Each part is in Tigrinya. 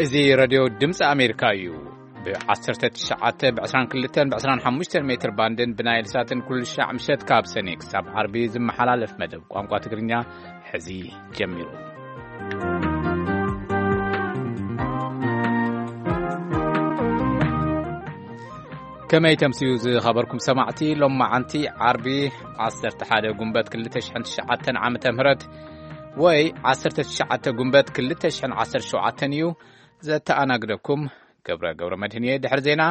እዚ ሬድዮ ድምፂ ኣሜሪካ እዩ። ብ19፣ ብ22፣ ብ25 ሜትር ባንድን ብናይል ሳትን ኩሉ ሻዕ ምሸት ካብ ሰኔ ክሳብ ዓርቢ ዝመሓላለፍ መደብ ቋንቋ ትግርኛ ሕዚ ጀሚሩ። ከመይ ተምስዩ ዝኸበርኩም ሰማዕቲ? ሎም መዓንቲ ዓርቢ 11 ጉንበት 2009 ዓመተ ምህረት ወይ 19 ጉንበት 2017 እዩ። ዘተኣናግደኩም ገብረ ገብረ መድህን እየ። ድሕሪ ዜና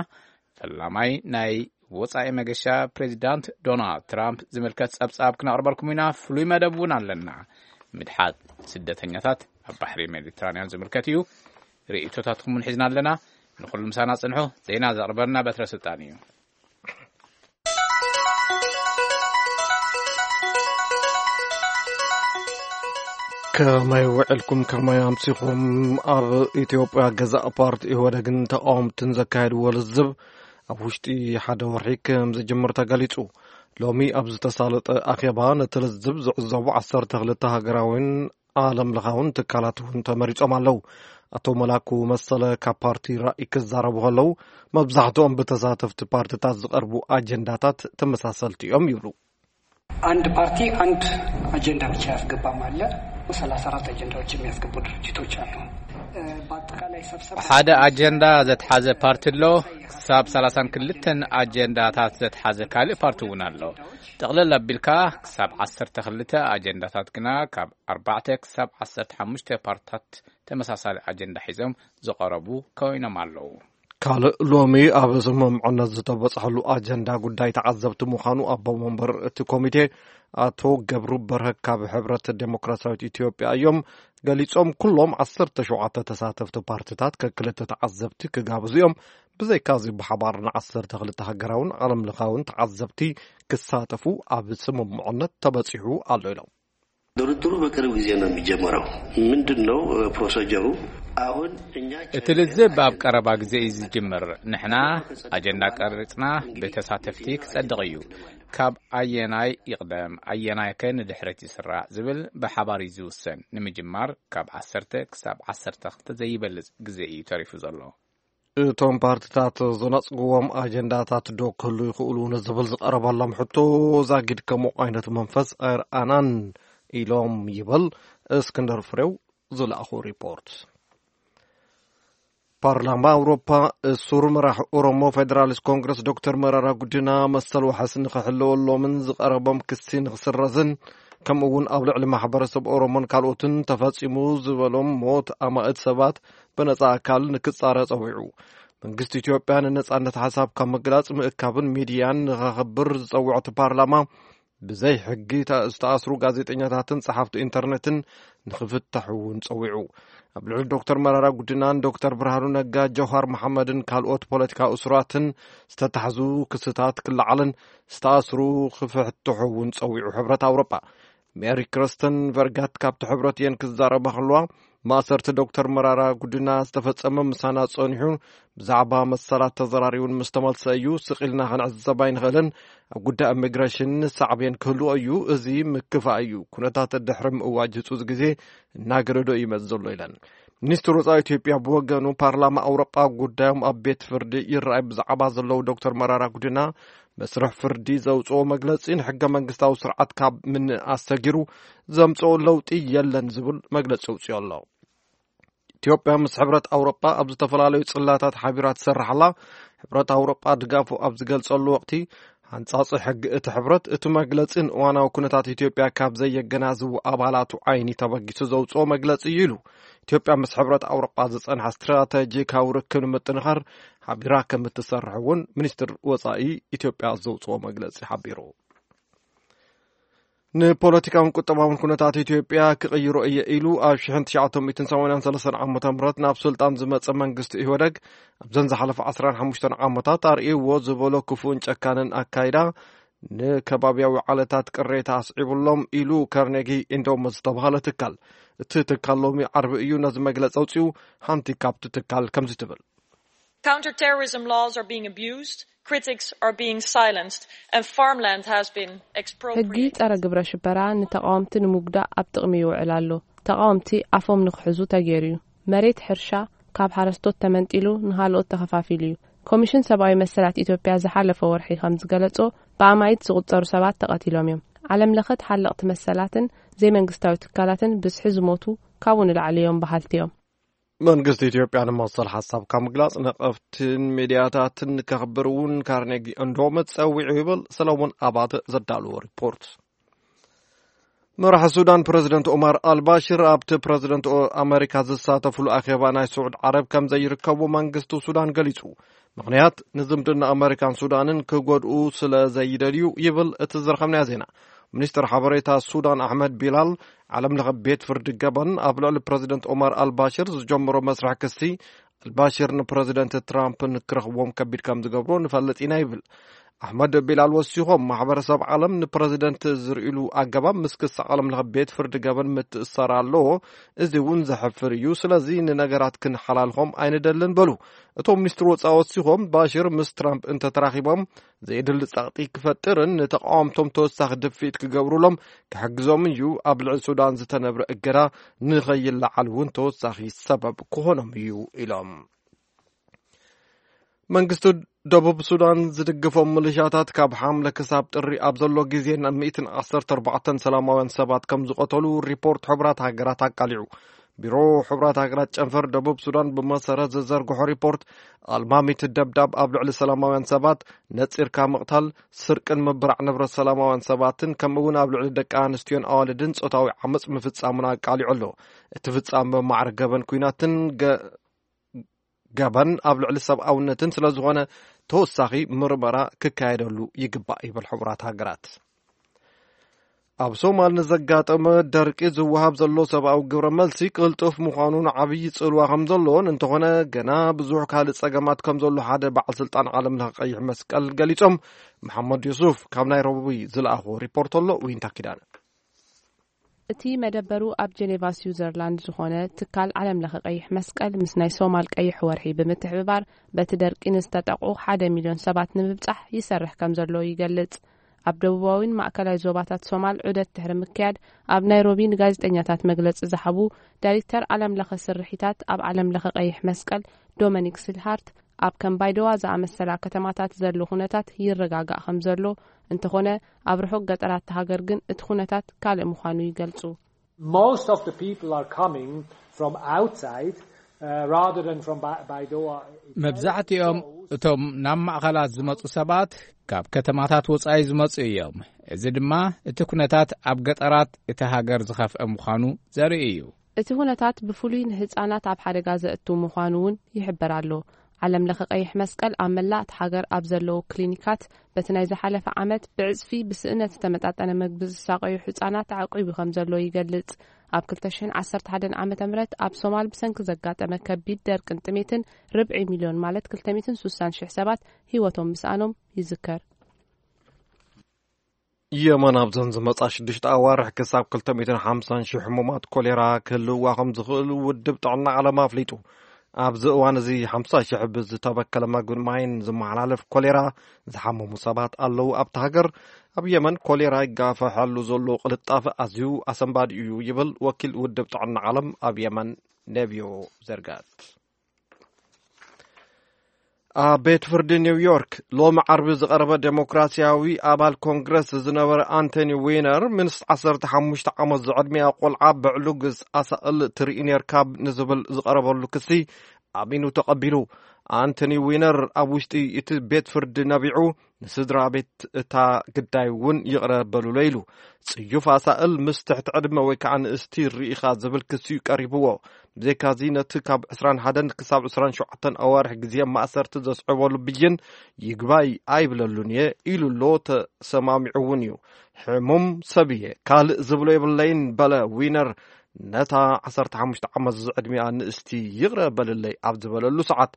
ፈላማይ ናይ ወጻኢ መገሻ ፕሬዚዳንት ዶናልድ ትራምፕ ዝምልከት ጸብጻብ ክነቕርበልኩም ኢና። ፍሉይ መደብ እውን ኣለና። ምድሓት ስደተኛታት ኣብ ባሕሪ ሜዲትራንያን ዝምልከት እዩ። ርእይቶታትኩም እውን ሒዝና ኣለና። ንኹሉ ምሳና ጽንሑ። ዜና ዘቕርበልና በትረ ስልጣን እዩ። ከመይ ውዕልኩም፣ ከመይ ኣምሲኹም? ኣብ ኢትዮጵያ ገዛእ ፓርቲ ኢህወደግን ተቃወምትን ዘካየድዎ ልዝብ ኣብ ውሽጢ ሓደ ወርሒ ከም ዝጅምር ተገሊጹ። ሎሚ ኣብ ዝተሳለጠ ኣኼባ ነቲ ልዝብ ዝዕዘቡ 12 ሃገራዊን ዓለም ለኻውን ትካላት እውን ተመሪጾም ኣለዉ። ኣቶ መላኩ መሰለ ካብ ፓርቲ ራእይ ክዛረቡ ከለዉ፣ መብዛሕትኦም ብተሳተፍቲ ፓርትታት ዝቐርቡ ኣጀንዳታት ተመሳሰልቲ እዮም ይብሉ። አንድ ፓርቲ አንድ አጀንዳ ብቻ ያስገባም አለ። 34 አጀንዳዎች የሚያስገቡ ድርጅቶች አሉ። በአጠቃላይ ሰብሰብ ሓደ ኣጀንዳ ዘትሓዘ ፓርቲ ኣሎ። ክሳብ 32 ኣጀንዳታት ዘትሓዘ ካልእ ፓርቲ እውን ኣሎ። ጥቕልል ኣቢልካ ክሳብ 12 ኣጀንዳታት ግና ካብ ኣርባዕተ ክሳብ 15 ፓርትታት ተመሳሳሊ ኣጀንዳ ሒዞም ዝቐረቡ ኮይኖም ኣለዉ። ካልእ ሎሚ ኣብ ስምምዕነት ዝተበጽሐሉ ኣጀንዳ ጉዳይ ተዓዘብቲ ምዃኑ ኣቦ መንበር እቲ ኮሚቴ ኣቶ ገብሩ በርሀ ካብ ሕብረት ዴሞክራሲያዊት ኢትዮጵያ እዮም ገሊጾም። ኩሎም 17 ተሳተፍቲ ፓርትታት ከክልተ ተዓዘብቲ ክጋብዙ እዮም። ብዘይካዚ ብሓባር ን12 ሃገራውን ዓለም ለኻውን ተዓዘብቲ ክሳተፉ ኣብ ስምምዕነት ተበጺሑ ኣሎ ኢሎም። ድርድሩ በቅርብ ጊዜ ነው የሚጀመረው። ምንድን ነው ፕሮሲጀሩ? አሁን እኛ እቲ ልዝብ ኣብ ቀረባ ግዜ እዩ ዝጅምር። ንሕና ኣጀንዳ ቀሪጽና ብተሳተፍቲ ክጸድቕ እዩ። ካብ ኣየናይ ይቕደም፣ ኣየናይ ከ ንድሕረት ይስራዕ ዝብል ብሓባር እዩ ዝውሰን። ንምጅማር ካብ 10 ክሳብ 12 ዘይበልጽ ግዜ እዩ ተሪፉ ዘሎ። እቶም ፓርትታት ዝነጽግዎም ኣጀንዳታት ዶ ክህሉ ይኽእሉ ንዝብል ዝቐረበሎም ሕቶ፣ ዛጊድ ከምኡ ዓይነት መንፈስ ኣይረኣናን ኢሎም ይብል እስክንድር ፍሬው ዝለኣኹ ሪፖርት። ፓርላማ ኣውሮፓ እሱር መራሕ ኦሮሞ ፌደራሊስት ኮንግረስ ዶክተር መራራ ጉዲና መሰል ዋሕስ ንኽሕለወሎምን ዝቐረቦም ክሲ ንኽስረዝን ከምኡ እውን ኣብ ልዕሊ ማሕበረሰብ ኦሮሞን ካልኦትን ተፈጺሙ ዝበሎም ሞት ኣማእት ሰባት ብነጻ ኣካል ንክጻረ ጸዊዑ። መንግስቲ ኢትዮጵያ ንነጻነት ሓሳብ ካብ ምግላጽ ምእካብን ሚድያን ንኸኽብር ዝጸውዐ እቲ ፓርላማ፣ ብዘይ ሕጊ ተ-፣ ዝተኣስሩ ጋዜጠኛታትን ጸሓፍቲ ኢንተርኔትን ንኽፍታሑ እውን ጸዊዑ። ኣብ ልዕሊ ዶክተር መራራ ጉዲናን ዶክተር ብርሃኑ ነጋ፣ ጀውሃር መሓመድን ካልኦት ፖለቲካዊ እሱራትን ዝተታሕዙ ክስታት ክለዓልን ዝተኣስሩ ክፍትሑ እውን ጸዊዑ። ሕብረት ኣውሮጳ ሜሪ ክርስተን ቨርጋት ካብቲ ሕብረት እየን ክዛረባ ከለዋ፣ ማእሰርቲ ዶክተር መራራ ጉዲና ዝተፈጸመ ምሳና ጸኒሑ ብዛዕባ መሰላት ተዘራሪቡን ምስ ተመልሰ እዩ። ስቕ ኢልና ክንዕዘብ ኣይንኽእልን። ኣብ ጉዳይ ኢሚግሬሽን ሳዕቤን ክህልዎ እዩ። እዚ ምክፋእ እዩ። ኩነታት ድሕሪ ምእዋጅ ህጹጽ ግዜ እናገደዶ እዩ ይመጽእ ዘሎ ኢለን። ሚኒስትር ወጻኢ ኢትዮጵያ ብወገኑ፣ ፓርላማ ኣውሮጳ ጉዳዮም ኣብ ቤት ፍርዲ ይረኣይ ብዛዕባ ዘለዉ ዶክተር መራራ ጉዲና መስርሕ ፍርዲ ዘውጽኦ መግለጺ ንሕገ መንግስታዊ ስርዓት ካብ ምንኣስ ሰጊሩ ዘምጽኦ ለውጢ የለን ዝብል መግለጺ ኣውጺኡ ኣሎ። ኢትዮጵያ ምስ ሕብረት ኣውሮጳ ኣብ ዝተፈላለዩ ጽላታት ሓቢራ ትሰርሕ ኣላ። ሕብረት ኣውሮጳ ድጋፉ ኣብ ዝገልጸሉ ወቕቲ፣ ሓንጻጺ ሕጊ እቲ ሕብረት፣ እቲ መግለጺን እዋናዊ ኩነታት ኢትዮጵያ ካብ ዘየገናዝቡ ኣባላቱ ዓይኒ ተበጊሱ ዘውጽኦ መግለጺ እዩ ኢሉ። ኢትዮጵያ ምስ ሕብረት ኣውሮጳ ዝጸንሐ ስትራተጂካዊ ርክብ ንምጥንኻር ሓቢራ ከም እትሰርሕ እውን ሚኒስትር ወጻኢ ኢትዮጵያ ዘውጽኦ መግለጺ ሓቢሩ። ንፖለቲካውን ቁጠባውን ኩነታት ኢትዮጵያ ክቕይሮ እየ ኢሉ ኣብ 1983 ዓመተ ምህረት ናብ ስልጣን ዝመጸ መንግስቲ ኢህወደግ፣ ኣብዘን ዝሓለፈ 15 ዓመታት ኣርእይዎ ዝበሎ ክፉእን ጨካንን ኣካይዳ ንከባብያዊ ዓለታት ቅሬታ ኣስዒቡሎም ኢሉ ካርኔጊ ኢንዶመንት ዝተባህለ ትካል። እቲ ትካል ሎሚ ዓርቢ እዩ ነዚ መግለጺ ኣውጺኡ። ሓንቲ ካብቲ ትካል ከምዚ ትብል። Counterterrorism laws are being abused, critics are being silenced, and farmland has been ሕጊ expropriated. ጸረ ግብረ ሽበራ ንተቓወምቲ ንምጉዳእ ኣብ ጥቕሚ ይውዕል ኣሎ። ተቓወምቲ ኣፎም ንክሕዙ ተገይሩ እዩ። መሬት ሕርሻ፣ ካብ ሓረስቶት ተመንጢሉ ንኻልኦት ተኸፋፊሉ እዩ። ኮሚሽን ሰብኣዊ መሰላት ኢትዮጵያ ዝሓለፈ ወርሒ ከም ዝገለጾ፣ ብኣማኢት ዝቑጸሩ ሰባት ተቐቲሎም እዮም። ዓለም ለኸ ተሓለቕቲ መሰላትን ዘይመንግስታዊ ትካላትን ብዝሒ ዝሞቱ ካብኡ ንላዕሊ እዮም በሃልቲ እዮም። መንግስቲ ኢትዮጵያ ንመሰል ሓሳብካ ምግላጽ ነቐፍትን ሚድያታትን ከኽብር እውን ካርኔጊ እንዶም ጸዊዑ ይብል ሰለሞን ኣባተ ዘዳለዎ ሪፖርት። መራሒ ሱዳን ፕረዚደንት ኦማር ኣልባሽር ኣብቲ ፕረዚደንት ኦ-፣ ኣመሪካ ዝሳተፍሉ ኣኼባ ናይ ስዑድ ዓረብ ከም ዘይርከቡ መንግስቲ ሱዳን ገሊጹ። ምኽንያት ንዝምድና ኣመሪካን ሱዳንን ክጎድኡ ስለ ዘይደልዩ ይብል እቲ ዝረኸብናዮ ዜና። ሚኒስትር ሓበሬታ ሱዳን ኣሕመድ ቢላል ዓለም ለኸ ቤት ፍርዲ ገበን ኣብ ልዕሊ ፕረዚደንት ኦማር ኣልባሽር ዝጀመሮ መስርሕ ክሲ ኣልባሽር ንፕረዚደንት ትራምፕ ንክረኽብዎም ከቢድ ከም ዝገብሮ ንፈልጥ ኢና ይብል። ኣሕመድ ቢላል ወሲኾም ማሕበረሰብ ዓለም ንፕረዚደንት ዝርእሉ ኣገባብ ምስ ክሲ ዓለም ለኸ ቤት ፍርዲ ገበን ምትእሳር ኣለዎ። እዚ እውን ዘሕፍር እዩ። ስለዚ ንነገራት ክንሓላልኾም ኣይንደልን በሉ። እቶም ሚኒስትር ወፃኢ ወሲኾም ባሽር ምስ ትራምፕ እንተተራኺቦም ዘየድሊ ጸቕጢ ክፈጥርን ንተቃወምቶም ተወሳኺ ድፍኢት ክገብሩሎም ክሕግዞምን እዩ። ኣብ ልዕሊ ሱዳን ዝተነብረ እገዳ ንኸይለዓል እውን ተወሳኺ ሰበብ ክኾኖም እዩ ኢሎም። መንግስቲ ደቡብ ሱዳን ዝድግፎም ምልሻታት ካብ ሓምለ ክሳብ ጥሪ ኣብ ዘሎ ግዜ ናብ ሚእትን ዓሰርተ ኣርባዕተን ሰላማውያን ሰባት ከም ዝቐተሉ ሪፖርት ሕቡራት ሃገራት ኣቃሊዑ። ቢሮ ሕቡራት ሃገራት ጨንፈር ደቡብ ሱዳን ብመሰረት ዝዘርግሖ ሪፖርት፣ ኣልማሚት ደብዳብ ኣብ ልዕሊ ሰላማውያን ሰባት፣ ነጺርካ ምቕታል፣ ስርቅን ምብራዕ ንብረት ሰላማውያን ሰባትን ከምኡ እውን ኣብ ልዕሊ ደቂ ኣንስትዮን ኣዋልድን ጾታዊ ዓመጽ ምፍጻሙን ኣቃሊዑ ኣሎ። እቲ ፍጻመ ማዕረ ገበን ኲናትን ገ-፣ ገበን ኣብ ልዕሊ ሰብኣውነትን ስለ ዝኾነ ተወሳኺ ምርመራ ክካየደሉ ይግባእ ይብል ሕቡራት ሃገራት። ኣብ ሶማል ንዘጋጠመ ደርቂ ዝወሃብ ዘሎ ሰብኣዊ ግብረ መልሲ ቅልጡፍ ምዃኑን ዓብዪ ጽልዋ ከም ዘለዎን፣ እንተኾነ ገና ብዙሕ ካልእ ጸገማት ከም ዘሎ ሓደ በዓል ስልጣን ዓለም ለኸ ቀይሕ መስቀል ገሊጾም። መሓመድ ዩሱፍ ካብ ናይሮቢ ዝለኣኾ ሪፖርት ኣሎ። ዊንታ ኪዳነ። እቲ መደበሩ ኣብ ጀኔቫ ስዊዘርላንድ ዝኾነ ትካል ዓለም ለኸ ቀይሕ መስቀል ምስ ናይ ሶማል ቀይሕ ወርሒ ብምትሕብባር በቲ ደርቂ ንዝተጠቕዑ ሓደ ሚልዮን ሰባት ንምብጻሕ ይሰርሕ ከም ዘሎ ይገልጽ። ኣብ ደቡባዊን ማእከላይ ዞባታት ሶማል ዑደት ድሕሪ ምክያድ ኣብ ናይሮቢ ንጋዜጠኛታት መግለጺ ዝሃቡ ዳይሬክተር ዓለም ለኸ ስርሒታት ኣብ ዓለም ለኸ ቀይሕ መስቀል ዶሚኒክ ሲልሃርት፣ ኣብ ከም ባይደዋ ዝኣመሰላ ከተማታት ዘሎ ኩነታት ይረጋጋእ ከም ዘሎ፣ እንተኾነ ኣብ ርሑቕ ገጠራት ሃገር ግን እቲ ኩነታት ካልእ ምዃኑ ይገልጹ። Most of the people are coming from outside, uh, rather than from Ba-, Baidoa itself. መብዛሕትኦም እቶም ናብ ማእኸላት ዝመጹ ሰባት ካብ ከተማታት ወጻኢ ዝመጹ እዮም። እዚ ድማ እቲ ኩነታት ኣብ ገጠራት እቲ ሃገር ዝኸፍአ ምዃኑ ዘርኢ እዩ። እቲ ኩነታት ብፍሉይ ንህጻናት ኣብ ሓደጋ ዘእቱ ምዃኑ እውን ይሕበር ኣሎ። ዓለም ለኸ ቀይሕ መስቀል ኣብ መላእ እቲ ሃገር ኣብ ዘለዉ ክሊኒካት በቲ ናይ ዝሓለፈ ዓመት ብዕጽፊ ብስእነት ዝተመጣጠነ መግቢ ዝሳቐዩ ህጻናት ኣዕቂቡ ከም ዘሎ ይገልጽ። ኣብ ክልተ ሽሕን ዓሰርተ ሓደን ዓመተ ምህረት ኣብ ሶማል ብሰንኪ ዘጋጠመ ከቢድ ደርቅን ጥሜትን ርብዒ ሚልዮን ማለት ክልተ ሚእትን ስሳን ሽሕ ሰባት ህይወቶም ምስኣኖም ይዝከር። የመን ኣብዘን ዝመጻ ሽዱሽተ ኣዋርሕ ክሳብ ክልተ ሚእትን ሓምሳን ሽሕ ሕሙማት ኮሌራ ክህልውዋ ከም ዝኽእሉ ውድብ ጥዕና ዓለም ኣፍሊጡ። ኣብዚ እዋን እዚ ሓምሳ ሽሕ ብዝተበከለ መግብን ማይን ዝመሓላለፍ ኮሌራ ዝሓመሙ ሰባት ኣለዉ። ኣብታ ሃገር ኣብ የመን ኮሌራ ይጋፈሐሉ ዘሎ ቅልጣፈ ኣዝዩ ኣሰንባዲ እዩ ይብል ወኪል ውድብ ጥዕና ዓለም ኣብ የመን ነቢዮ ዘርጋት። ኣብ ቤት ፍርዲ ኒውዮርክ ሎሚ ዓርቢ ዝቐረበ ዴሞክራሲያዊ ኣባል ኮንግረስ ዝነበረ ኣንቶኒ ዊነር፣ ምስ ዓሰርተ ሓሙሽተ ዓመት ዝዕድሚኣ ቆልዓ ብዕሉግስ ኣሳእል ትርኢ ኔርካ ንዝብል ዝቐረበሉ ክሲ ኣሚኑ ተቐቢሉ። ኣንቶኒ ዊነር ኣብ ውሽጢ እቲ ቤት ፍርዲ ነቢዑ፣ ንስድራ ቤት እታ ግዳይ እውን ይቕረ በሉለይ ኢሉ። ጽዩፍ ኣሳእል ምስ ትሕቲ ዕድመ ወይ ከዓ ንእስቲ ርኢኻ ዝብል ክሲ እዩ ቀሪብዎ። ብዘይካዚ ነቲ ካብ ዕስራን ሓደን ክሳብ ዕስራን ሸውዓተን ኣዋርሕ ግዜ ማእሰርቲ ዘስዕበሉ ብይን ይግባይ ኣይብለሉን እየ ኢሉ ኣሎ። ተሰማሚዑ እውን እዩ። ሕሙም ሰብ እየ፣ ካልእ ዝብሎ የብለይን በለ ዊነር። ነታ ዓሰርተ ሓሙሽተ ዓመት ዝዕድሚኣ ንእስቲ ይቕረ በልለይ ኣብ ዝበለሉ ሰዓት፣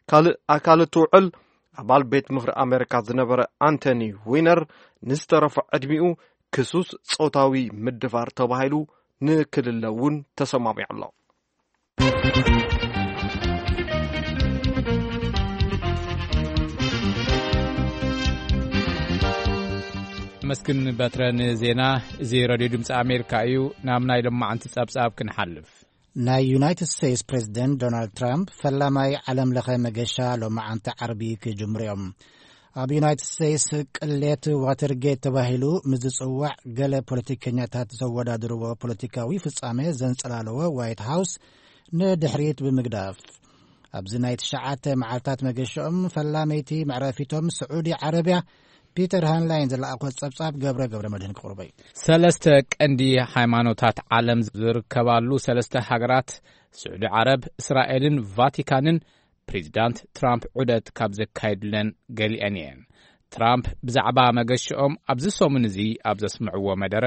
ካልእ ኣካል እቲ ውዕል ኣባል ቤት ምኽሪ ኣሜሪካ ዝነበረ ኣንቶኒ ዊነር ንዝተረፈ ዕድሚኡ ክሱስ ጾታዊ ምድፋር ተባሂሉ ንክልለ እውን ተሰማሚዑ ኣሎ። መስግን በትረ ንዜና። እዚ ሬድዮ ድምፂ ኣሜሪካ እዩ። ናብ ናይ ሎማዓንቲ ጸብጻብ ክንሓልፍ። ናይ ዩናይትድ ስቴትስ ፕሬዝደንት ዶናልድ ትራምፕ ፈላማይ ዓለም ለኸ መገሻ ሎማዓንቲ ዓርቢ ክጅምሩ እዮም። ኣብ ዩናይትድ ስቴትስ ቅሌት ዋተርጌት ተባሂሉ ምስ ዝጽዋዕ፣ ገለ ፖለቲከኛታት ዘወዳድርዎ ፖለቲካዊ ፍጻሜ ዘንጸላለዎ ዋይት ሃውስ ንድሕሪት ብምግዳፍ፣ ኣብዚ ናይ ትሽዓተ መዓልታት መገሽኦም ፈላመይቲ መዕረፊቶም ስዑዲ ዓረብያ፣ ፒተር ሃንላይን ዝለኣኾ ጸብጻብ ገብረ ገብረ መድህን ክቕርቦ እዩ። ሰለስተ ቀንዲ ሃይማኖታት ዓለም ዝርከባሉ ሰለስተ ሃገራት፣ ስዑዲ ዓረብ፣ እስራኤልን ቫቲካንን፣ ፕሬዚዳንት ትራምፕ ዑደት ካብ ዘካየዱለን ገሊአን እየን። ትራምፕ ብዛዕባ መገሽኦም ኣብዚ ሰሙን እዚ ኣብ ዘስምዕዎ መደረ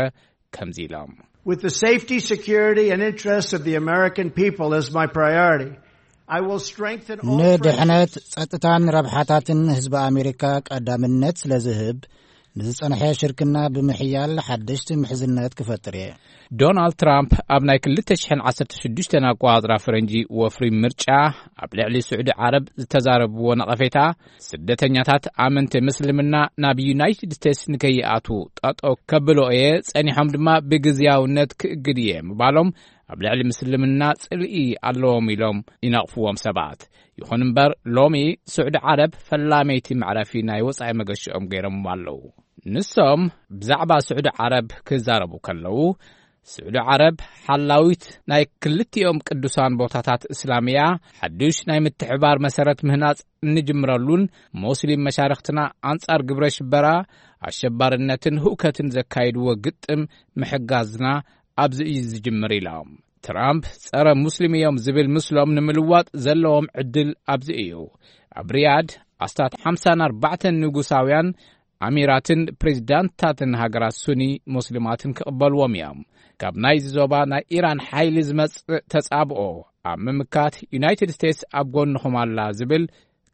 ከምዚ ኢሎም። With the safety, security, and interests of the American people as my priority, I will strengthen all ንድሕነት፣ ጸጥታን ረብሓታትን ህዝቢ ኣሜሪካ ቀዳምነት ስለ ዝህብ፣ ንዝጸንሐ ሽርክና ብምሕያል ሓደሽቲ ምሕዝነት ክፈጥር እየ። ዶናልድ ትራምፕ ኣብ ናይ ክልተ ሽሕን ዓሰርተ ሽዱሽተን ኣቆጻጽራ ፈረንጂ ወፍሪ ምርጫ ኣብ ልዕሊ ስዑዲ ዓረብ ዝተዛረብዎ ነቐፌታ፣ ስደተኛታት ኣመንቲ ምስልምና ናብ ዩናይትድ ስቴትስ ንከይኣትዉ ጠጠው ከብሎ እየ፣ ጸኒሖም ድማ ብግዝያውነት ክእግድ እየ ምባሎም፣ ኣብ ልዕሊ ምስልምና ጽልኢ ኣለዎም ኢሎም ይነቕፍዎም ሰባት። ይኹን እምበር፣ ሎሚ ስዑዲ ዓረብ ፈላመይቲ መዕረፊ ናይ ወጻኢ መገሽኦም ገይሮም ኣለዉ። ንሶም ብዛዕባ ስዑዲ ዓረብ ክዛረቡ ከለዉ፣ ስዑዲ ዓረብ ሓላዊት ናይ ክልቲኦም ቅዱሳን ቦታታት እስላም እያ፣ ሓዱሽ ናይ ምትሕባር መሰረት ምህናጽ እንጅምረሉን፣ ሙስሊም መሻርኽትና ኣንጻር ግብረ ሽበራ፣ ኣሸባርነትን ህውከትን ዘካይድዎ ግጥም ምሕጋዝና ኣብዚ እዩ ዝጅምር ኢሎም። ትራምፕ ጸረ ሙስሊም እዮም ዝብል ምስሎም ንምልዋጥ ዘለዎም ዕድል ኣብዚ እዩ። ኣብ ሪያድ ኣስታት ሓምሳን ኣርባዕተን ንጉሳውያን ኣሚራትን ፕሬዚዳንትታትን ሃገራት ሱኒ ሙስሊማትን ክቕበልዎም እዮም። ካብ ናይዚ ዞባ ናይ ኢራን ሓይሊ ዝመጽእ ተጻብኦ ኣብ ምምካት ዩናይትድ ስቴትስ ኣብ ጎንኹም ኣላ ዝብል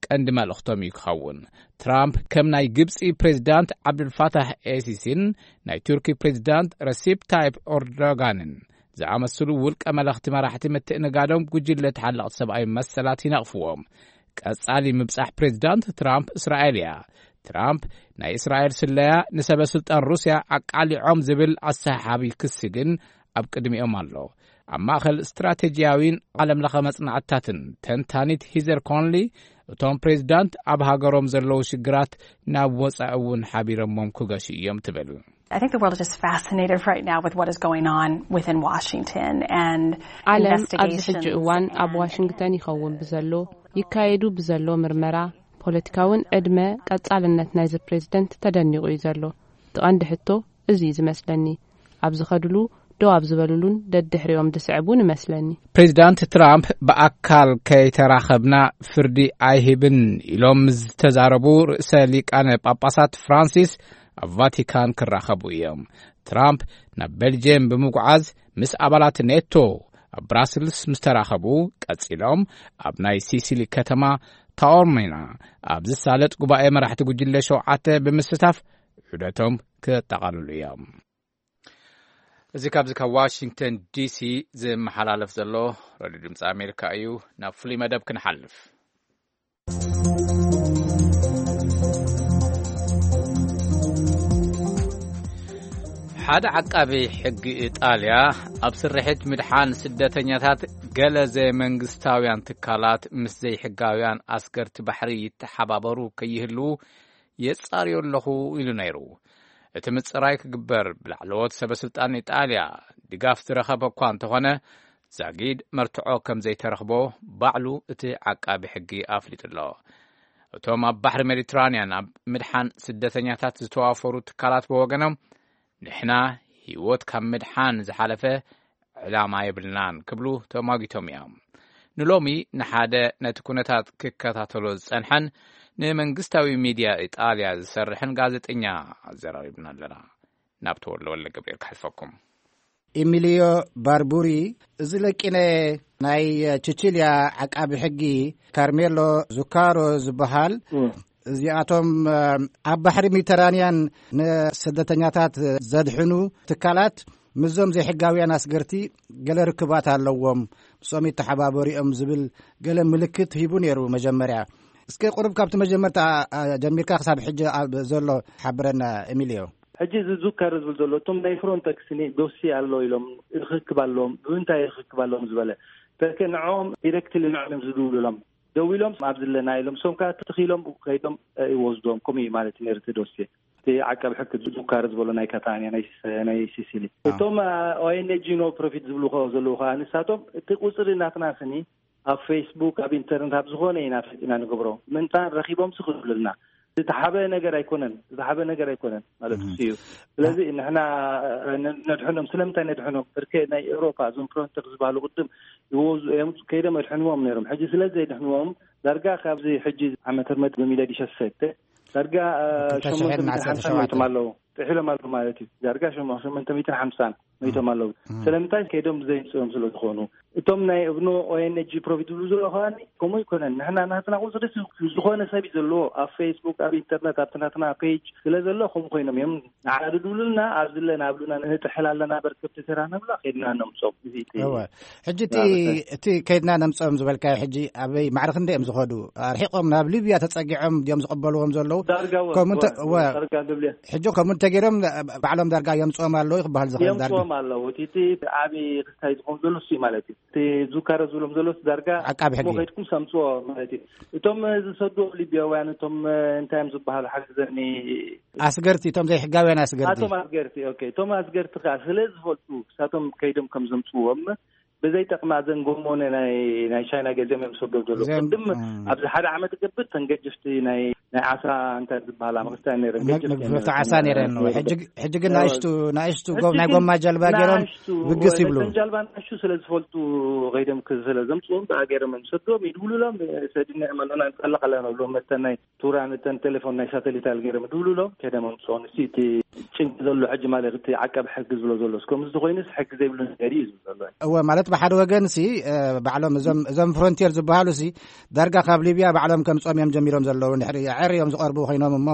ቀንዲ መልእኽቶም እዩ ክኸውን። ትራምፕ ከም ናይ ግብጺ ፕሬዚዳንት ዓብዱልፋታሕ ኤሲሲን ናይ ቱርኪ ፕሬዚዳንት ረሲፕ ታይፕ ኦርዶጋንን ዝኣመስሉ ውልቀ መለኽቲ መራሕቲ ምትእንጋዶም ጉጅለ ተሓለቕቲ ሰብኣዊ መሰላት ይነቕፍዎም። ቀጻሊ ምብጻሕ ፕሬዚዳንት ትራምፕ እስራኤል እያ። ትራምፕ ናይ እስራኤል ስለያ ንሰበ ስልጣን ሩስያ ኣቃሊዖም ዝብል ኣሰሓሓቢ ክሲ ግን ኣብ ቅድሚኦም ኣሎ። ኣብ ማእከል ስትራቴጂያዊን ዓለም ለኸ መጽናዕትታትን ተንታኒት ሂዘር ኮንሊ፣ እቶም ፕሬዚዳንት ኣብ ሃገሮም ዘለዉ ሽግራት ናብ ወጻኢ እውን ሓቢረሞም ክገሹ እዮም ትብል። I think the world is just fascinated right now with what is going on within Washington and ዓለም ኣብዚ investigations ሕጂ እዋን ኣብ and ዋሽንግተን ይኸውን ብዘሎ፣ ይካየዱ ብዘሎ ምርመራ፣ ፖለቲካውን ዕድመ ቀጻልነት ናይዚ ፕሬዝደንት ተደኒቑ እዩ ዘሎ። እቲ ቀንዲ ሕቶ እዚ እዩ ዝመስለኒ። ኣብ ዝኸድሉ ደው ኣብ ዝበሉሉን ደድሕሪኦም ዝስዕቡን እመስለኒ። ፕሬዚዳንት ትራምፕ ብኣካል ከይተራኸብና ፍርዲ ኣይህብን ኢሎም ምስ ዝተዛረቡ ርእሰ ሊቃነ ጳጳሳት ፍራንሲስ ኣብ ቫቲካን ክራኸቡ እዮም። ትራምፕ ናብ ቤልጅየም ብምጉዓዝ ምስ ኣባላት ኔቶ ኣብ ብራስልስ ምስ ተራኸቡ ቀጺሎም ኣብ ናይ ሲሲሊ ከተማ ታኦርሚና ኣብ ዝሳለጥ ጉባኤ መራሕቲ ጉጅለ ሸውዓተ ብምስታፍ ዑደቶም ክጠቓልሉ እዮም። እዚ ካብዚ ካብ ዋሽንግተን ዲሲ ዝመሓላለፍ ዘሎ ሬድዮ ድምፂ ኣሜሪካ እዩ። ናብ ፍሉይ መደብ ክንሓልፍ። ሓደ ዓቃቢ ሕጊ ኢጣልያ ኣብ ስርሒት ምድሓን ስደተኛታት ገለ ዘይመንግስታውያን ትካላት ምስ ዘይሕጋውያን ኣስገርቲ ባሕሪ ይተሓባበሩ ከይህልዉ የጻርዮ ኣለኹ ኢሉ ነይሩ። እቲ ምጽራይ ክግበር ብላዕለዎት ሰበ ስልጣን ኢጣልያ ድጋፍ ዝረኸበ እኳ እንተኾነ፣ ዛጊድ መርትዖ ከም ዘይተረኽቦ ባዕሉ እቲ ዓቃቢ ሕጊ ኣፍሊጡ ኣሎ። እቶም ኣብ ባሕሪ ሜዲትራንያን ኣብ ምድሓን ስደተኛታት ዝተዋፈሩ ትካላት ብወገኖም፣ "ንሕና ህይወት ካብ ምድሓን ዝሓለፈ ዕላማ የብልናን" ክብሉ ተሟጊቶም እዮም። ንሎሚ ንሓደ ነቲ ኩነታት ክከታተሎ ዝጸንሐን ንመንግስታዊ ሚድያ ኢጣልያ ዝሰርሕን ጋዜጠኛ ኣዘራሪብና ኣለና። ናብ ተወልደ ወልደ ገብርኤል ክሓልፈኩም። ኢሚሊዮ ባርቡሪ፣ እዚ ለቂነ ናይ ቺቺልያ ዓቃቢ ሕጊ ካርሜሎ ዙካሮ ዝበሃል፣ እም። እዚኣቶም፣ እ፣ ኣብ ባሕሪ ሜዲተራንያን ንስደተኛታት ዘድሕኑ ትካላት ምስዞም ዘይሕጋውያን ኣስገርቲ ገለ ርክባት ኣለዎም፣ ምስኦም ይተሓባበሩ እዮም ዝብል ገለ ምልክት ሂቡ ነይሩ መጀመርያ። እስከ ቁሩብ ካብቲ መጀመርታ፣ እ፣ ጀሚርካ ክሳብ ሕጂ ኣብ ዘሎ ሓብረና ኤሚልዮ። ሕጂ እዚ ዙካረ ዝብል ዘሎ እቶም ናይ ፍሮንተክስ ዶሲ ኣሎ ኢሎም ርክክብ ኣለዎም። ብምንታይ ርክክብ ኣለዎም ዝበለ ተከ ንዕኦም ዲረክትሊ ንዕኦም እዮም ዝድውሉሎም። ደዊሎም ኣብ ዘለና ኢሎም ሶም ከዓ ትኽኢሎም ከይዶም ይወስዶም። ከምኡ እዩ ማለት እዩ ነርቲ ዶሲ እቲ ዓቃቢ ሕግ ዙካረ ዝበሎ ናይ ካታንያ ናይ ሲሲሊ። እቶም ኦኤንጂ ኖ ፕሮፊት ዝብሉ ዘለዉ ከዓ ንሳቶም እቲ ቁፅሪ ናትና ስኒ ኣብ ፌስቡክ ኣብ ኢንተርነት ኣብ ዝኾነ ኢና ፈጢና ንገብሮ። ምንታ ረኺቦም ስኽእሉልና ዝተሓበ ነገር ኣይኮነን። ዝተሓበ ነገር ኣይኮነን ማለት እዩ። ስለዚ ንሕና ነድሕኖም። ስለምንታይ ነድሕኖም? ብርኬ ናይ ኤውሮፓ እዞም ፍሮንተር ዝበሃሉ ቅድም ይወዙ እዮም። ከይዶም ኣድሕንዎም ነይሮም። ሕጂ ስለ ዘይድሕንዎም ዳርጋ ካብዚ ሕጂ ዓመተ ምህረት ብሚለድ ይሸሰተ ዳርጋ ሸሞንተ ሚእትን ሓምሳን ሞይቶም ኣለዉ። ጥሒሎም ኣለዉ ማለት እዩ። ዳርጋ ሸሞንተ ሚእትን ሓምሳን ሞይቶም ኣለዉ። ስለምንታይ? ከይዶም ዘይምፅኦም ስለ ዝኾኑ። እቶም ናይ እብኖ ኦኤንጂ ፕሮፊት ዝብሉ ዘሎ ከዋኒ ከምኡ ይኮነን። ንሕና ናትና ቁፅሪ ዝኾነ ሰብ እዩ ዘለዎ ኣብ ፌስቡክ ኣብ ኢንተርነት ኣብቲ ናትና ፔጅ ስለ ዘሎ ከምኡ ኮይኖም እዮም። ንዓና ድድብሉልና ኣብ ዝለ ናብ ሉና ንጥሕል ኣለና በርከብቲ ተራ ነብላ ከይድና ነምፆም። እዚ እቲ እወ። ሕጂ እቲ እቲ ከይድና ነምፀኦም ዝበልካዮ ሕጂ ኣበይ ማዕረ ክንደ እዮም ዝኸዱ? ኣርሒቆም ናብ ሊብያ ተፀጊዖም ድዮም ዝቕበልዎም ዘለዉ? ዳርጋ እወ፣ ከምኡ እንተ- እወ፣ እወ። ዳርጋ ሊብያ። ሕጂ ከምኡ እንተገይሮም ባዕሎም ዳርጋ የምፅኦም ኣለዉ ክበሃል ዝኽእል ዳርጋ የምፅኦም ኣለዉ። እቲ እቲ ዓብዪ ክስታይ ዝኾኑ ዘሎ እሱ ማለት እዩ። እቲ ዙካረ ዝብሎም ዘሎ ዳርጋ ዓቃቢ ሕጊ እሞ ከይድኩም ሰምፅዎ ማለት እዩ። እቶም ዝሰዱ ሊብያውያን እቶም እንታይ እዮም ዝበሃሉ ሓግዘኒ ኣስገርቲ እቶም ዘይሕጋውያን ኣስገርቲ ኣቶም ኣስገርቲ ኦኬ። እቶም ኣስገርቲ ከዓ ስለ ዝፈልጡ ሳቶም ከይዶም ከም ዘምፅዎም ብዘይ ጠቕማ ዘንጎሞነ ናይ ናይ ቻይና ገዚኦም እዮም ዝሰዶም ዘሎ። ቅድም ኣብዚ ሓደ ዓመት ገብር ተንገጅፍቲ ናይ ናይ ዓሳ እንታይ ዝበሃላ መክስታ ነረን መግፍቲ ዓሳ ነረን። ሕጂ ግን ናእሽቱ ናእሽቱ ናይ ጎማ ጀልባ ገይሮም ብግስ ይብሉ። ጃልባ ናእሽቱ ስለ ዝፈልጡ ከይዶም ስለ ዘምፅዎም ብኣ ገይሮም እዮም ዝሰዶም ይድውሉሎም። ሰድና መለና ንፀለቕ ኣለና ብሎም መተናይ ቱራ ነተን ቴሌፎን ናይ ሳተሊት ኣልገረም ድብሉሎ ከደም ኣምፅኦ ንሲ እቲ ጭንቂ ዘሎ ሕጂ ማለት እቲ ዓቀብ ሕጊ ዝብሎ ዘሎ እስከም እዚ ኮይኑስ ሕጊ ዘይብሉ ነገር እዩ ዝብሎ ዘሎ። እወ ማለት ብሓደ ወገን ሲ ባዕሎም እዞም እዞም ፍሮንቲር ዝበሃሉ ሲ ዳርጋ ካብ ሊብያ ባዕሎም ከምፅኦም እዮም ጀሚሮም ዘለዉ። ንድሕሪ ዓር እዮም ዝቐርቡ ኮይኖም እሞ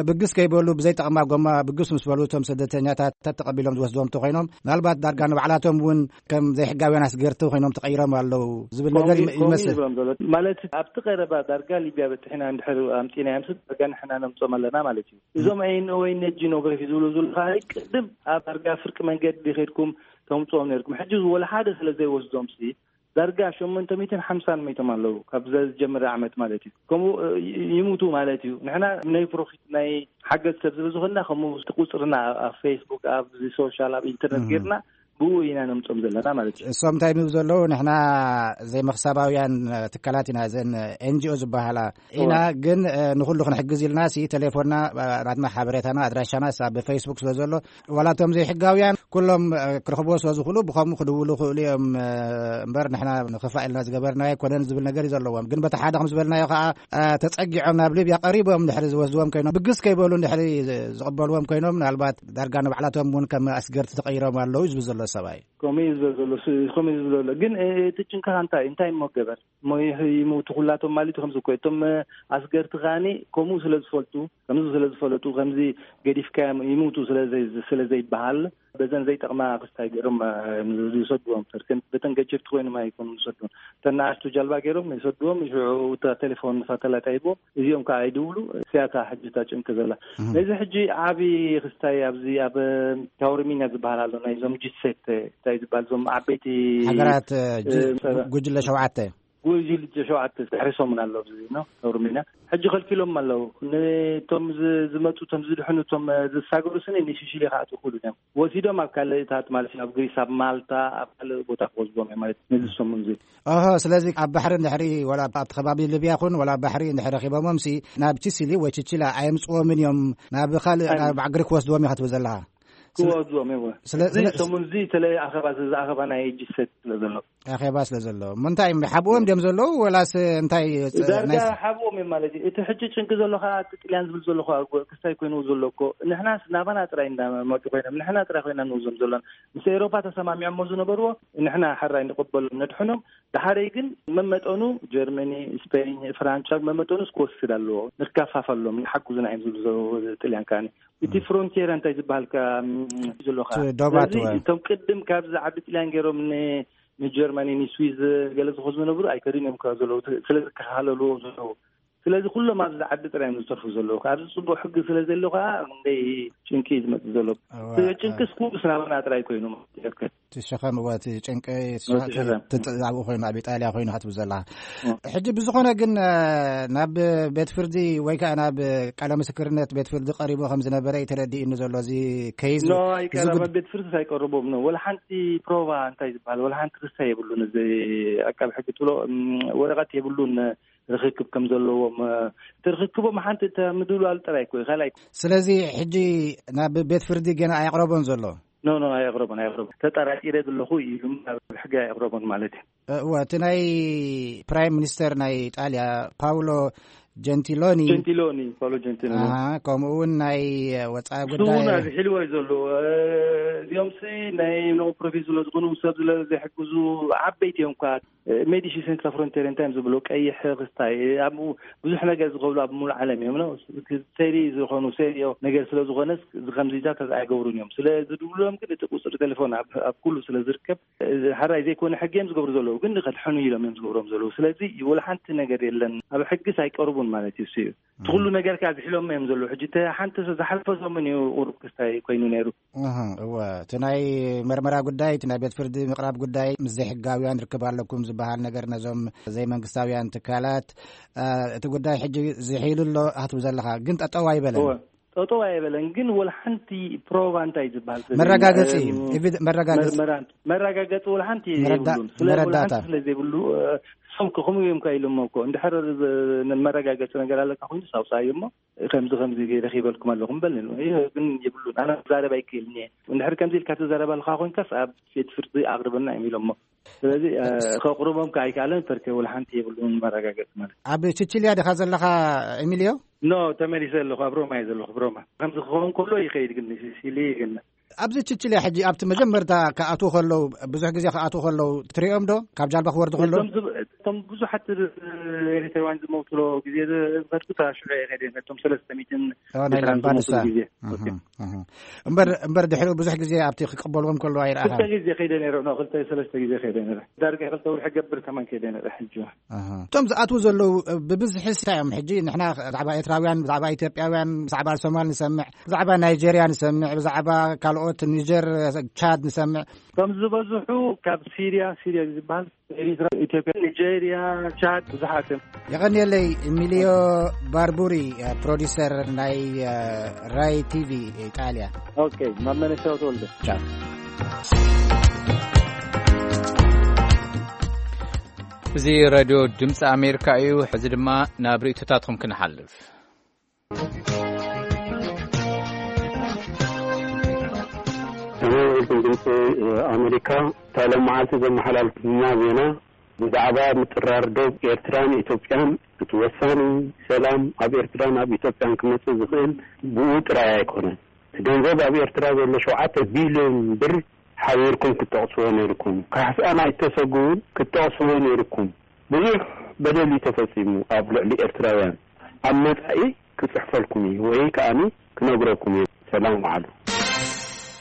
ብግስ ከይበሉ ብዘይ ጠቕማ ጎማ ብግስ ምስ በሉ እቶም ስደተኛታት ተተቐቢሎም ዝወስድዎም እንተኮይኖም ምናልባት ዳርጋ ንባዕላቶም እውን ከም ዘይሕጋውያን ኣስገርቲ ኮይኖም ተቐይሮም ኣለዉ ዝብል ነገር ይመስል። ማለት ኣብቲ ቀረባ ዳርጋ ሊብያ በትሕና እንድሕር ኣምፂና እዮም ስድ ዳርጋ ንሕና ነምፆም ኣለና ማለት እዩ። እዞም ኣይነ ወይ ነጂ ኖግረፊ ዝብሉ ዝሉ ከዓ ቅድም ኣብ ዳርጋ ፍርቂ መንገዲ ከድኩም ተምፅኦም ነርኩም ሕጂ ወላ ሓደ ስለ ዘይወስዶም ሲ ዳርጋ ሸሞንተ ሚእትን ሓምሳን መይቶም ኣለዉ ካብ ዝጀምር ዓመት ማለት እዩ። ከምኡ ይሙቱ ማለት እዩ። ንሕና ናይ ፕሮፊት ናይ ሓገዝ ሰብ ዝብዝኾና ከምኡ ቁፅርና ኣብ ፌስቡክ ኣብ ሶሻል ኣብ ኢንተርነት ጌርና ብኡ ኢና ነምፆም ዘለና ማለት እዩ። እሶም እንታይ ንብ ዘለዉ ንሕና ዘይመክሳባውያን ትካላት ኢና ዘን ኤንጂኦ ዝበሃላ ኢና። ግን ንኩሉ ክንሕግዝ ኢልና ሲ ቴሌፎንና ናትና ሓበሬታና ኣድራሻና ኣብ ፌስቡክ ስለ ዘሎ ዋላ እቶም ዘይሕጋውያን ኩሎም ክረኽብዎ ስለ ዝኽእሉ ብከምኡ ክድውሉ ክእሉ እዮም። እምበር ንሕና ንክፋ ኢልና ዝገበርና ኣይኮነን ዝብል ነገር እዩ ዘለዎም። ግን በቲ ሓደ ከም ዝበልናዮ ከዓ ተፀጊዖም ናብ ሊብያ ቀሪቦም ድሕሪ ዝወስድዎም ኮይኖም ብግስ ከይበሉ ድሕሪ ዝቕበልዎም ኮይኖም ምናልባት ዳርጋ ንባዕላቶም እውን ከም ኣስገርቲ ተቐይሮም ኣለዉ ዝብል ዘሎ ሰብኣይ። ከምኡ እዩ ዝብል ዘሎ ከምኡ እዩ ዝብል ዘሎ ግን እቲ ጭንቅኻ እንታይ እንታይ እሞ ገበር እሞ ይምውቱ ኩላቶም ማለት እዩ። ከምዚ እኮ እቶም ኣስገርቲ ከዓኒ ከምኡ ስለ ዝፈልጡ ከምዚ ስለ ዝፈለጡ ከምዚ ገዲፍካዮም ይምውቱ ስለ ዘይበሃል በዘን ዘይጠቕማ ክስታይ ገይሮም ዝሰድዎም ተርከን በተን ገጀፍቲ ኮይኖም ኣይኮኑም ዝሰድዎም። ተናኣሽቱ ጃልባ ገይሮም ይሰድዎም። ሽዑ እታ ቴሌፎን ሳተላይት ኣይቦም እዚኦም ከዓ ኣይድውሉ። ሲያታ ሕጂ እታ ጭንቂ ዘላ ነዚ ሕጂ ዓብዪ ክስታይ ኣብዚ ኣብ ታውርሚና ዝበሃል ኣሎ ናይዞም ጅሴት እንታይ ዝበሃል እዞም ዓበይቲ ሃገራት ጉጅለ ሸውዓተ ጉጅል ሸውዓተ ድሕሪ ሰሙን ኣሎ ኣብዚ ነው ተውርሚና ሕጂ ከልኪሎም ኣለዉ። ንቶም ዝመፁ ቶም ዝድሕኑ ቶም ዝሳገሩ ስኒ ንሽሽሊ ከኣትዉ ክእሉ እዮም። ወሲዶም ኣብ ካልእታት ማለት ኣብ ግሪስ ኣብ ማልታ ኣብ ካልእ ቦታ ክወስድዎም እዮም ማለት ነዚ ሰሙን እዚ። ኦሆ ስለዚ ኣብ ባሕሪ ድሕሪ ወላ ኣብቲ ከባቢ ሊብያ ኹን ወላ ኣብ ባሕሪ እንድሕር ረኺቦሞም ሲ ናብ ቺሲሊ ወይ ቺቺላ ኣየምፅዎምን እዮም ናብ ካልእ ናብ ግሪክ ክወስድዎም እዩ ክትብል ዘለኻ። ክወስድዎም እየ። ስለዚ ሰሙን እዚ ተለይ ኣኸባ እዚ ኣኸባ ናይ ጅሰት ስለ ዘሎ ኣኼባ ስለ ዘሎ እሞ እንታይ እዮም ሓብኦም ድዮም ዘለዉ ወላስ እንታይ ዳርጋ ሓብኦም እዮም ማለት እዩ። እቲ ሕጂ ጭንቂ ዘሎ ከዓ እቲ ጥልያን ዝብል ዘሎ ከዓ ክስታይ ኮይኑ ዘሎ እኮ ንሕናስ ናባና ጥራይ እንዳመጡ ኮይኖም ንሕና ጥራይ ኮይና ንውዞም ዘሎና ምስ ኤሮፓ ተሰማሚዖሞ ዝነበርዎ ንሕና ሕራይ ንቅበሎም ነድሕኖም። ድሓረይ ግን መመጠኑ ጀርመኒ ስፔን ፍራንቻ መመጠኑስ ክወስድ ኣለዎ። ንካፋፈሎም ንሓጉዝና እዮም ዝብሉ ዘለዉ ጥልያን ከዓኒ እቲ ፍሮንቲራ እንታይ ዝበሃልካ ዘለካ ዶባት እቶም ቅድም ካብዚ ዓዲ ጥልያን ገይሮም ንጀርማኒ ንስዊዝ ገለ ዝኾኑ ዝነብሩ ኣይከዱን እዮም ከ ዘለዉ ስለ ዝከኻለልዎ ዘለዉ ስለዚ ኩሎም ኣብዚ ዓዲ ጥራይ እዮም ዝተርፉ ዘለዉ። ኣብዚ ጽቡቕ ሕጊ ስለ ዘሎ ከዓ እንደይ ጭንቂ እዩ ዝመጽእ ዘሎ። እዋ፣ ጭንቅስ ኩሉ ስናበና ጥራይ ኮይኑ ማለት እዩ። እቲ ሸኸም፣ እዋ፣ እቲ ጭንቂ፣ እቲ እቲ ሸኸም፣ ሸኸም። እቲ ኣብኡ ኮይኑ፣ ኣብ ኢጣልያ ኮይኑ ክትብል ዘለኻ። ሕጂ ብዝኾነ ግን፣ እ፣ ናብ ቤት ፍርዲ ወይ ከዓ ናብ ቃለ ምስክርነት ቤት ፍርዲ ቀሪቡ ከም ዝነበረ እዩ ተረዲእኒ ዘሎ። እዚ ከይዝ፣ ኖ፣ እዚ ኣይቀረበ፣ ጉድ- ቤት ፍርዲ ኣይቀረቦም ነው። ወላ ሓንቲ ፕሮቫ እንታይ ዝበሃል፣ ወላ ሓንቲ ክሳ የብሉን። እዚ ኣቃቢ ሕጊ ትብሎ፣ እም፣ ወረቐት የብሉን ርክክብ ከም ዘለዎም፣ እ፣ እቲ ርክክቦም ሓንቲ እተ ምድላል ጥራይ እኮ እዩ፣ ካልኣይ። ስለዚ ሕጂ ናብ ቤት ፍርዲ ገና ኣየቕረቦን ዘሎ? ኖ፣ ኖ፣ ኣየቕረቦን፣ ኣየቕረቦን። ተጠራጢረ ዘለኹ ኢሉ፣ ናብ ሕጊ ኣየቕረቦን ማለት እዩ። እወ፣ እቲ ናይ ፕራይም ሚኒስተር ናይ ኢጣልያ ፓውሎ ጀንቲሎኒ፣ ጀንቲሎኒ፣ ፓውሎ ጀንቲሎኒ። ኣሃ፣ ከምኡ እውን ናይ ወጻኢ እሱ ጉዳይ እውን ኣብዚ ሒልዎ እዩ ዘሎ። እ፣ እዚኦም ሲ ናይ ኖ ፕሮፊት ስለ ዝኾኑ፣ ሰብ ስለ ዘይሕግዙ፣ ዓበይቲ እዮም እኳ። እ፣ ሜዲሲ ሴንትራ ፍሮንቴር እንታይ እዮም ዝብሉ? ቀይሕ ክስታይ። ኣብኡ ብዙሕ ነገር ዝገብሩ ኣብ ሙሉእ ዓለም እዮም ነው። ሰሪ ዝኾኑ፣ ሰሪዮ ነገር ስለ ዝኾነስ፣ እዚ ከምዚታት ኣይገብሩን እዮም። ስለ ዝድብሉሎም ግን እቲ ቁጽሪ ቴሌፎን ኣብ፣ ኣብ ኩሉ ስለ ዝርከብ፣ እዚ ሕራይ ዘይኮነ ሕጊ እዮም ዝገብሩ ዘለዉ፣ ግን ከድሕኑ ኢሎም እዮም ዝገብሮም ዘለዉ። ስለዚ ወላ ሓንቲ ነገር የለን፣ ኣብ ሕግስ ኣይቀርቡን ማለት እዩ። እሱ እዩ እቲ ኩሉ ነገር ከኣ ዝሒሎም እዮም ዘለዉ። ሕጂ እተ ሓንቲ ዝሓለፈ ሰሙን እዩ ቁሩብ ክስታይ ኮይኑ ነይሩ። እህ፣ እወ፣ እቲ ናይ መርመራ ጉዳይ፣ እቲ ናይ ቤት ፍርዲ ምቕራብ ጉዳይ ምስ ዘይሕጋውያን ርክብ ኣለኩም ዝበሃል ነገር ነዞም ዘይመንግስታውያን ትካላት፣ እ፣ እቲ ጉዳይ ሕጂ ዝሒሉ ኣሎ ኣትቡ ዘለኻ፣ ግን ጠጠው ኣይበለን። እወ። ጠጠው ኣይበለን፣ ግን ወላ ሓንቲ ፕሮቫ እንታይ ዝበሃል ሰብ መረጋገጺ፣ የለን። ኤቪድ-፣ መረጋገጺ። መርመራ፣ መረጋገጺ ወላ ሓንቲ መረዳ-፣ የብሉን። ስለ ወላ መረዳእታ። ሓንቲ ስለ ዘይብሉ፣ እ፣ እሶም ከ ከምኡ እዮም ከ ኢሎም እኮ፣ እንድሕር ዝ-፣ መረጋገጺ ነገር ኣለካ ኮይኑ ሳውጻ እዮም እሞ፣ ከምዚ ከምዚ ገይረ ኪበልኩም ኣለኹም በል። ይህ ግን የብሉን። ኣነ ክዛረብ ኣይክእልን እየ። እንድሕር ከምዚ ኢልካ ትዛረብ ኣለኻ ኮይንካስ ኣብ ቤት ፍርዲ ኣቕርበና እዮም ኢሎሞ። ስለዚ፣ እ፣ ከቕርቦም ከ ኣይከኣለን፣ ፐርከ ወላ ሓንቲ የብሉን መረጋገጺ ማለት። ኣብ ቺቺልያ ዲኻ ዘለኻ ኤሚልዮ? ኖ፣ ተመሊሰ ኣለኹ። ኣብ ሮማ እየ ዘለኹ፣ ኣብ ሮማ። ከምዚ ክኸውን ከሎ ይኸይድ ግን፣ ሲሲሊ ግን። ኣብዚ ቺቺልያ ሕጂ ኣብቲ መጀመርታ ክኣትዉ ከለዉ፣ ብዙሕ ግዜ ክኣትዉ ከለዉ ትሪኦም ዶ? ካብ ጃልባ ክወርዱ ከለዉ? እቶም ዝብ-፣ እቶም ብዙሓት ኤሪትራውያን ዝሞትሉ ግዜ ዝኸድኩ፣ እታ ሽዑ እየ ከይደ፣ እቶም ሰለስተ ሚእትን ኦ፣ ናይ ኤርትራን ላምፓዱሳ። ዝሞትሉ ግዜ። እህ፣ ኦኬ። እህ። እምበር፣ እምበር ድሕሪኡ ብዙሕ ግዜ ኣብቲ ክቅበልዎም ከለዉ ኣይረኣኻን? ክልተ ግዜ ከይደ ነይረ፣ ኖ፣ ክልተ ሰለስተ ግዜ ከይደ ነይረ። ዳርጋ ክልተ ወርሒ ገብር ከማን ከይደ ነይረ ሕጂ። ኣሃ። እቶም ዝኣትዉ ዘለዉ፣ እ፣ ብብዝሒ እንታይ እዮም? ሕጂ ንሕና ብዛዕባ ኤርትራውያን፣ ብዛዕባ ኢትዮጵያውያን፣ ብዛዕባ ሶማል ንሰምዕ፣ ብዛዕባ ናይጀርያ ንሰምዕ፣ ብዛዕባ ካልኦት ኒጀር፣ ቻድ ንሰምዕ። እቶም ዝበዝሑ ካብ ሲርያ፣ ሲርያ ዝበሃል፣ ኤሪትራ፣ ኢትዮጵያ፣ ኒጀርያ፣ ቻድ ብዙሓት እዮም። የቐንየለይ፣ ኤሚልዮ ባርቡሪ፣ እ፣ ፕሮዲሰር ናይ፣ እ፣ ራይ ቲቪ ኢጣልያ። ኦኬ፣ ማመነሻው ተወልደ። ቻው። እዚ ሬድዮ ድምፂ ኣሜሪካ እዩ። ሕዚ ድማ ናብ ርእይቶታትኩም ክንሓልፍ። እዚ ድምፂ ኣሜሪካ፣ እታ ሎም መዓልቲ ዘመሓላልፍና ዜና ብዛዕባ ምጥራር ዶብ ኤርትራን ኢትዮጵያን፣ እቲ ወሳኒ ሰላም ኣብ ኤርትራን ኣብ ኢትዮጵያን ክመፅእ ዝኽእል ብኡ ጥራይ ኣይኮነን። እቲ ገንዘብ ኣብ ኤርትራ ዘሎ ሸውዓተ ቢልዮን ብር ሓቢርኩም ክትጠቕስዎ ነይርኩም። ካሕሳን ኣይተሰጉ እውን ክትጠቕስዎ ነይርኩም። ብዙሕ በደል እዩ ተፈጺሙ ኣብ ልዕሊ ኤርትራውያን። ኣብ መጻኢ ክጽሕፈልኩም እዩ ወይ ከኣኒ ክነግረኩም እዩ። ሰላም ዋዕሉ።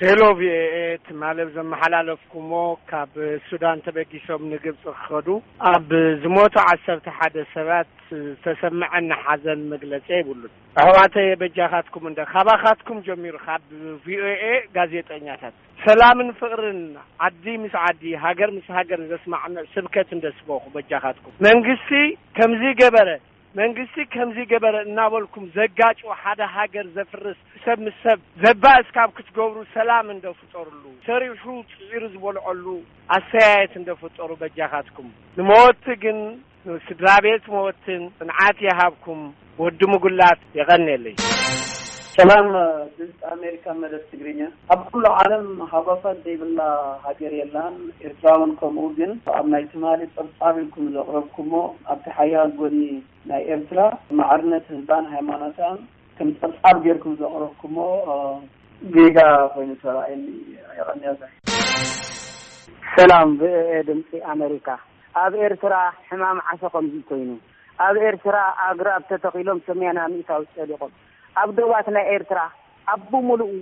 ሄሎ ቪኦኤ፣ ትማሊ ኣብ ዘመሓላለፍኩሞ ካብ ሱዳን ተበጊሶም ንግብፂ ክኸዱ ኣብ ዝሞቱ ዓሰርተ ሓደ ሰባት ዝተሰምዐኒ ሓዘን መግለጺ የብሉን። ኣሕዋተየ በጃኻትኩም እንደ ካባኻትኩም ጀሚሩ ካብ ቪኦኤ ጋዜጠኛታት ሰላምን ፍቕርን ዓዲ ምስ ዓዲ ሃገር ምስ ሃገር ዘስማዕምዕ ስብከት እንደስበኹ በጃኻትኩም መንግስቲ ከምዚ ገበረ መንግስቲ ከምዚ ገበረ እናበልኩም ዘጋጩ ሓደ ሃገር ዘፍርስ ሰብ ምስ ሰብ ዘባእስ ካብ ክትገብሩ ሰላም እንደፍጠርሉ ሰሪሑ ጽዒሩ ዝበልዐሉ ኣስተያየት እንደፍጠሩ በጃኻትኩም ንመወቲ ግን ስድራ ቤት መወትን ጽንዓት ይሃብኩም። ወዲ ምጉላት የቐንየለይ። ሰላም ድምፂ ኣሜሪካ መደብ ትግርኛ። ኣብ ኩሉ ዓለም ሃጓፋት ዘይብላ ሃገር የላን። ኤርትራ እውን ከምኡ። ግን ኣብ ናይ ትማሊ ጸብጻብ ኢልኩም ዘቕረብኩሞ ኣብቲ ሓያል ጎኒ ናይ ኤርትራ ማዕርነት ህዝባን ሃይማኖታን ከም ጸብጻብ ጌርኩም ዘቕረብኩሞ ጌጋ ኮይኑ ተራእየኒ። የቐንየለይ። ሰላም ቪኦኤ ድምፂ ኣሜሪካ። ኣብ ኤርትራ ሕማም ዓሶ ከምዚ ኮይኑ ኣብ ኤርትራ ኣግራብ ተተኺሎም ሰማንያ ሚእታዊት ጸዲቖም ኣብ ዶባት ናይ ኤርትራ ኣብ ብምሉኡ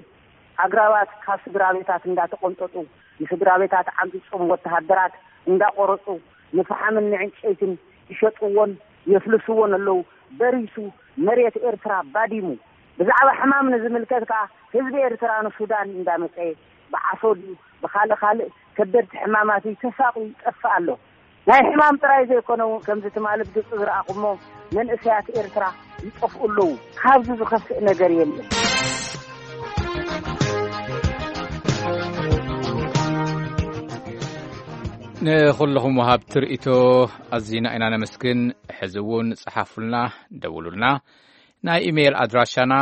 ኣግራባት ካብ ስድራ ቤታት እንዳተቆንጠጡ ንስድራ ቤታት ዓምፂፆም ወተሃደራት እንዳቆረፁ ንፈሓምን ንዕንጨይትን ይሸጥዎን የፍልስዎን ኣለዉ። በሪሱ፣ መሬት ኤርትራ ባዲሙ። ብዛዕባ ሕማም ንዝምልከት ከኣ ህዝቢ ኤርትራ ንሱዳን እንዳመጸ ብዓሶ ድዩ ብኻልእ ካልእ ከበድቲ ሕማማት እዩ ተሳቑ ይጠፍእ ኣሎ። ናይ ሕማም ጥራይ ዘይኮነ እውን ከምዚ ትማሊ ብግልጺ ዝረኣኹሞ መንእሰያት ኤርትራ ይጠፍኡ ኣለዉ። ካብዚ ዝኸፍእ ነገር የለን። ንኹልኹም ወሃብቲ ርእይቶ ኣዚና ኢና ነመስግን። ሕዚ እውን ጸሓፉልና፣ ደውሉልና። ናይ ኢሜይል ኣድራሻና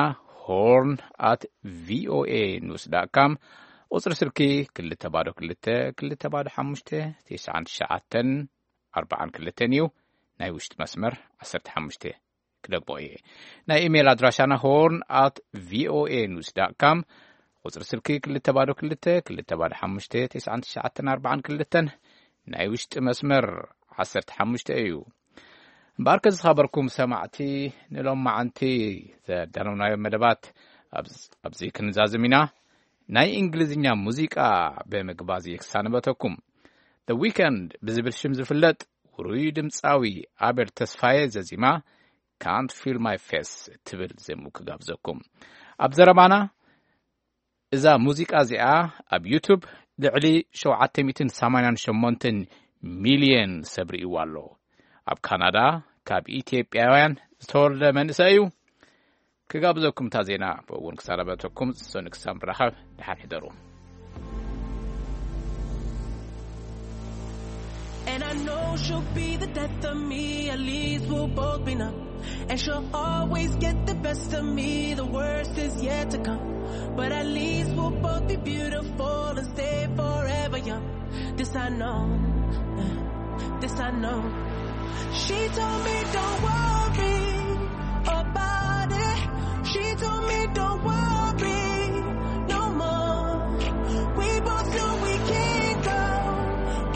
ሆርን ኣት ቪኦኤ ኒውስ ዳት ካም፣ ቁጽሪ ስልኪ ክልተ ባዶ ክልተ ክልተ ባዶ ሓሙሽተ ትሽዓን ትሽዓተን ኣርባዓን ክልተን እዩ። ናይ ውሽጢ መስመር ዓሰርተ ሓሙሽተ ክደግሞ እየ። ናይ ኢሜይል ኣድራሻና ሆርን ኣት ቪኦኤ ኒውስ ዳት ካም፣ ቁጽሪ ስልኪ ክልተ ባዶ ክልተ ክልተ ባዶ ሓሙሽተ ትሽዓን ትሽዓተን ኣርባዓን ክልተን፣ ናይ ውሽጢ መስመር ዓሰርተ ሓሙሽተ እዩ። እምበኣርከ ዝኸበርኩም ሰማዕቲ፣ ንሎማዓንቲ ዘዳለውናዮ መደባት ኣብዚ፣ ኣብዚ ክንዛዝም ኢና። ናይ እንግሊዝኛ ሙዚቃ ብምግባዝ ክሳንበተኩም። The Weeknd ብዝብል ሽም ዝፍለጥ ውሩይ ድምፃዊ ኣቤል ተስፋዬ ዘዚማ ካንት ፊል ማይ ፌስ ትብል ዜሙ ክጋብዘኩም። ኣብ ዘረባና እዛ ሙዚቃ እዚኣ ኣብ ዩቱብ ልዕሊ ሸውዓተ ሚእትን ሰማንያን ሸሞንተን ሚልዮን ሰብ ርእይዋ ኣሎ። ኣብ ካናዳ ካብ ኢትዮጵያውያን ዝተወልደ መንእሰይ እዩ። ክጋብዘኩም እታ ዜና ብእውን ክሳረበተኩም ሰኑ ክሳብ ንራኸብ ደሓን ሕደሩ። And I know she'll be the death of me. At least we'll both be numb. And she'll always get the best of me. The worst is yet to come. But at least we'll both be beautiful and stay forever young. This I know, uh, this I know. She told me don't worry about it. She told me don't worry no more. We both know we can't go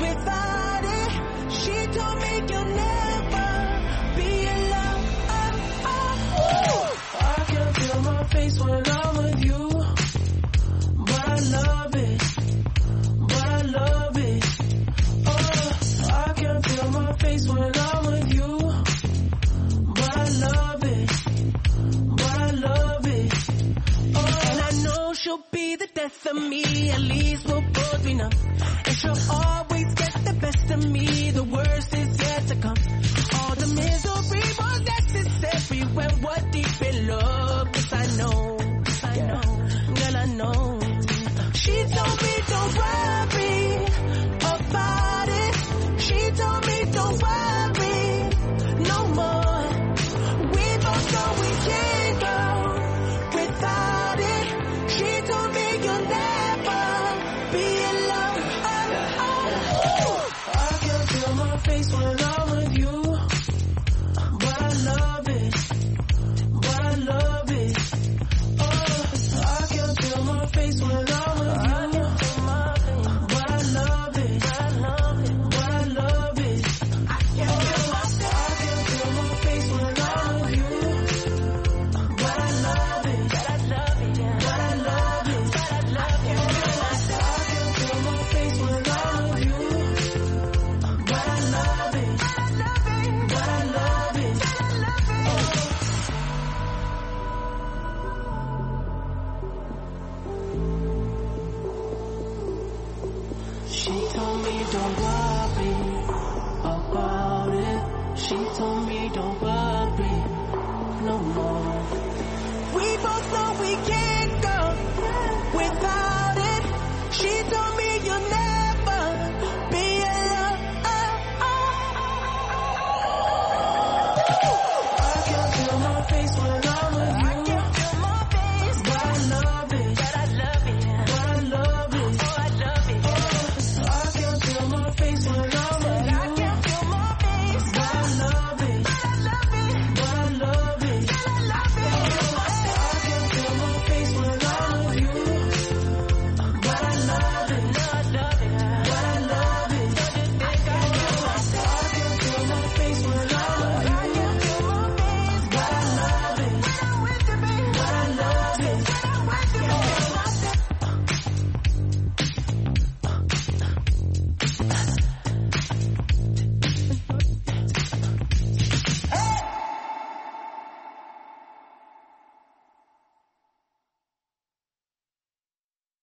without it. She told me you'll never be alone. Oh, oh, oh. I can feel my face when I'm with you. But I love it. But I love it. Oh, I can feel my face when I'm with you. But I love it. But I love it. Oh, and I know she'll be the death of me. At least we'll both be numb. And she'll always get the best of me. The worst is yet to come. All the misery was necessary when we're deep in love. 'Cause I know, 'cause I know, girl, I know. She told me don't worry about it. She told me don't worry no more. We both know we can't go without it. She told me you'll never be alone. Oh, oh, oh. I can feel my face when I'm with you. But I love it. But I love it. Oh, I can feel my face when I'm with you. But I love it. But I love it. I can feel my face when I'm with you. But I love it. But I love it. But I love it. I can feel my face when I'm with you. But I love it. But I love it. She told me don't worry about it. She told me